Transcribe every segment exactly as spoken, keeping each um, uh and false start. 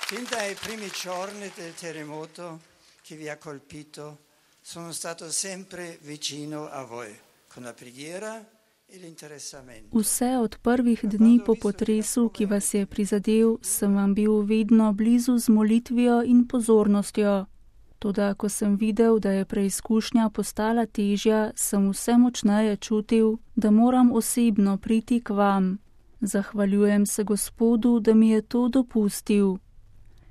Fin dai primi giorni del terremoto che vi ha colpito, sono stato sempre vicino a voi, con la preghiera e l'interessamento. Vse od prvih dni po potresu, ki vas je prizadel, sem vam bil vedno blizu z molitvijo in pozornostjo. Toda, ko sem videl, da je preizkušnja postala težja, sem vse močneje čutil, da moram osebno priti k vam. Zahvaljujem se Gospodu, da mi je to dopustil.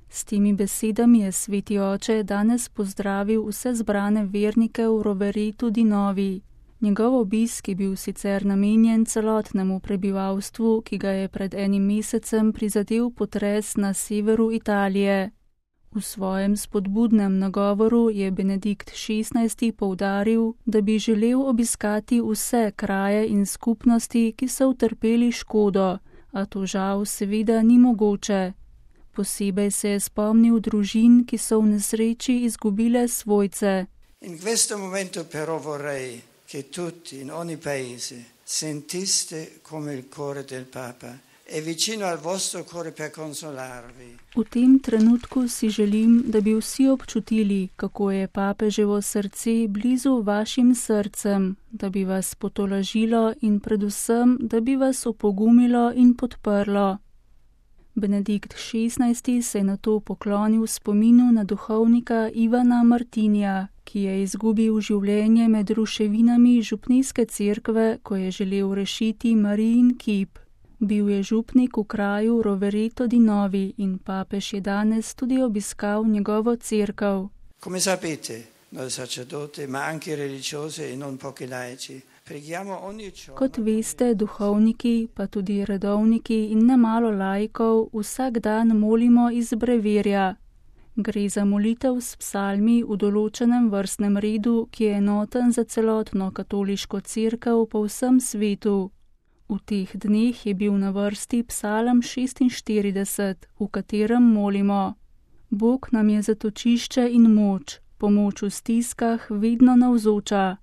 S temi besedami je sveti oče danes pozdravil vse zbrane vernike v Roveretu di Novi. Njegov obisk je bil sicer namenjen celotnemu prebivalstvu, ki ga je pred enim mesecem prizadel potres na severu Italije. V svojem spodbudnem nagovoru je Benedikt šestnajsti poudaril, da bi želel obiskati vse kraje in skupnosti, ki so utrpeli škodo, a to žal seveda ni mogoče. Posebej se je spomnil družin, ki so v nesreči izgubile svojce. In questo momento però vorrei che tutti in ogni paese sentiste come il cuore del Papa è vicino al vostro cuore per consolarvi. V tem trenutku si želim, da bi vsi občutili, kako je papeževo srce blizu vašim srcem, da bi vas potolažilo in predvsem, da bi vas opogumilo in podprlo. Benedikt šestnajsti se je nato poklonil spominu na duhovnika Ivana Martinija, ki je izgubil življenje med ruševinami župnijske cerkve, ko je želel rešiti Marijin kip. Bil je župnik v kraju Rovereto di Novi in papež je danes tudi obiskal njegovo cerkev. Come sapete, noi sacerdoti, ma anche religiosi e non pochi laici, kot veste, duhovniki, pa tudi redovniki in nemalo laikov vsak dan molimo iz brevirja. Gre za molitev s psalmi v določenem vrstnem redu, ki je enoten za celotno katoliško cerkev po vsem svetu. V teh dneh je bil na vrsti psalm šestinštirideset, v katerem molimo: Bog nam je zatočišče in moč, pomoč v stiskah vedno navzoča.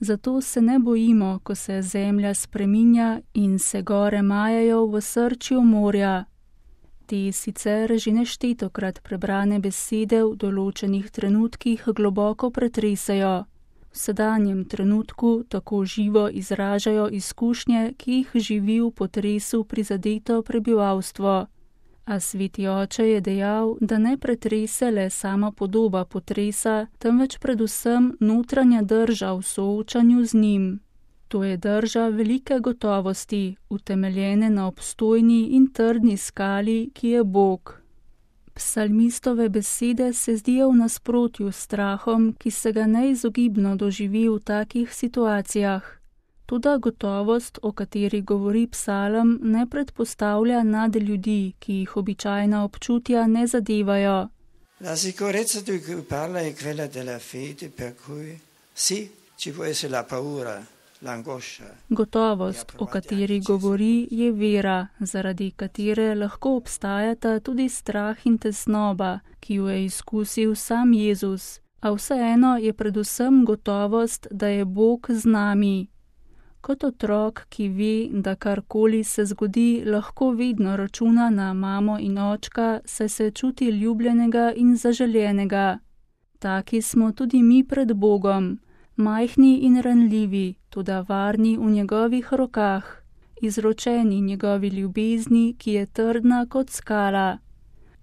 Zato se ne bojimo, ko se zemlja spreminja in se gore majajo v osrčju morja. Te sicer že neštetokrat prebrane besede v določenih trenutkih globoko pretresajo. V sedanjem trenutku tako živo izražajo izkušnje, ki jih živi v potresu prizadeto prebivalstvo. A sveti oče je dejal, da ne pretrese le sama podoba potresa, temveč predvsem notranja drža v soočanju z njim. To je drža velike gotovosti, utemeljene na obstojni in trdni skali, ki je Bog. Psalmistove besede se zdijo v nasprotju s strahom, ki se ga neizogibno doživi v takih situacijah. Toda gotovost, o kateri govori psalm, ne predpostavlja nad ljudi, ki jih običajna občutja ne zadevajo. La sicurezza di cui parla è quella della fede, per cui sì, ci può essere la paura, l'angoscia. Gotovost, o kateri govori, je vera, zaradi katere lahko obstajata tudi strah in tesnoba, ki jo je izkusil sam Jezus, a vseeno je predvsem gotovost, da je Bog z nami. Kot otrok, ki ve, da karkoli se zgodi, lahko vedno računa na mamo in očka, saj se čuti ljubljenega in zaželjenega. Taki smo tudi mi pred Bogom, majhni in ranljivi, toda varni v njegovih rokah, izročeni njegovi ljubezni, ki je trdna kot skala.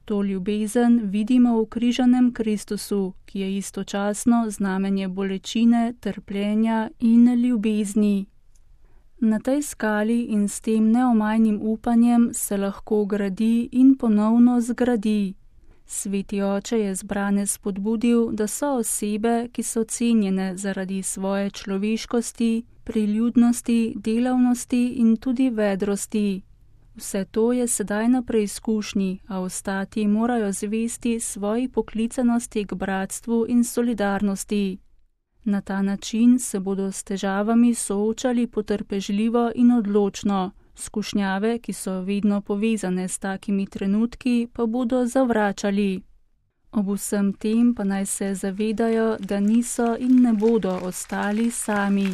To ljubezen vidimo v križanem Kristusu, ki je istočasno znamenje bolečine, trpljenja in ljubezni. Na tej skali in s tem neomajnim upanjem se lahko gradi in ponovno zgradi. Sveti oče je zbrane spodbudil, da so osebe, ki so cenjene zaradi svoje človeškosti, priljudnosti, delavnosti in tudi vedrosti. Vse to je sedaj na preizkušnji, a ostati morajo zvesti svoji poklicanosti k bratstvu in solidarnosti. Na ta način se bodo s težavami soočali potrpežljivo in odločno, skušnjave, ki so vedno povezane s takimi trenutki, pa bodo zavračali. Ob vsem tem pa naj se zavedajo, da niso in ne bodo ostali sami.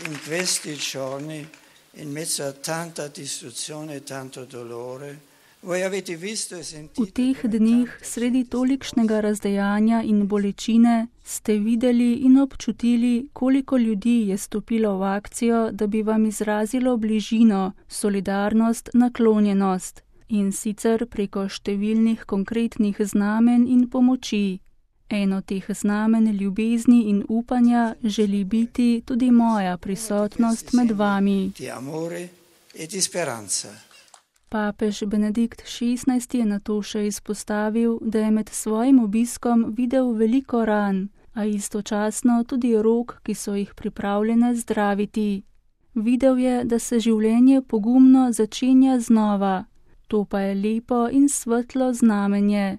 In questi giorni, in mezzo a tanta distruzione e tanto dolore, V teh dneh, sredi tolikšnega razdejanja in bolečine, ste videli in občutili, koliko ljudi je stopilo v akcijo, da bi vam izrazilo bližino, solidarnost, naklonjenost, in sicer preko številnih konkretnih znamenj in pomoči. Eno teh znamen ljubezni in upanja želi biti tudi moja prisotnost med vami. Papež Benedikt šestnajsti je nato še izpostavil, da je med svojim obiskom videl veliko ran, a istočasno tudi rok, ki so jih pripravljene zdraviti. Videl je, da se življenje pogumno začenja znova, to pa je lepo in svetlo znamenje.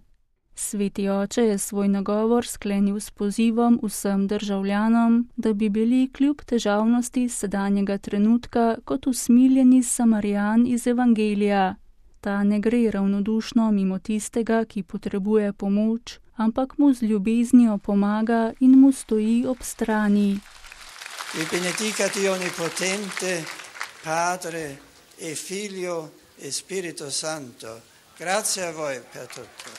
Sveti oče je svoj nagovor sklenil s pozivom vsem državljanom, da bi bili kljub težavnosti sedanjega trenutka kot usmiljeni Samarijan iz Evangelija. Ta ne gre ravnodušno mimo tistega, ki potrebuje pomoč, ampak mu z ljubeznijo pomaga in mu stoji ob strani. Vi benedicat Dio Onnipotente, Padre e Figlio e Spirito Santo. Grazie a voi per tutto.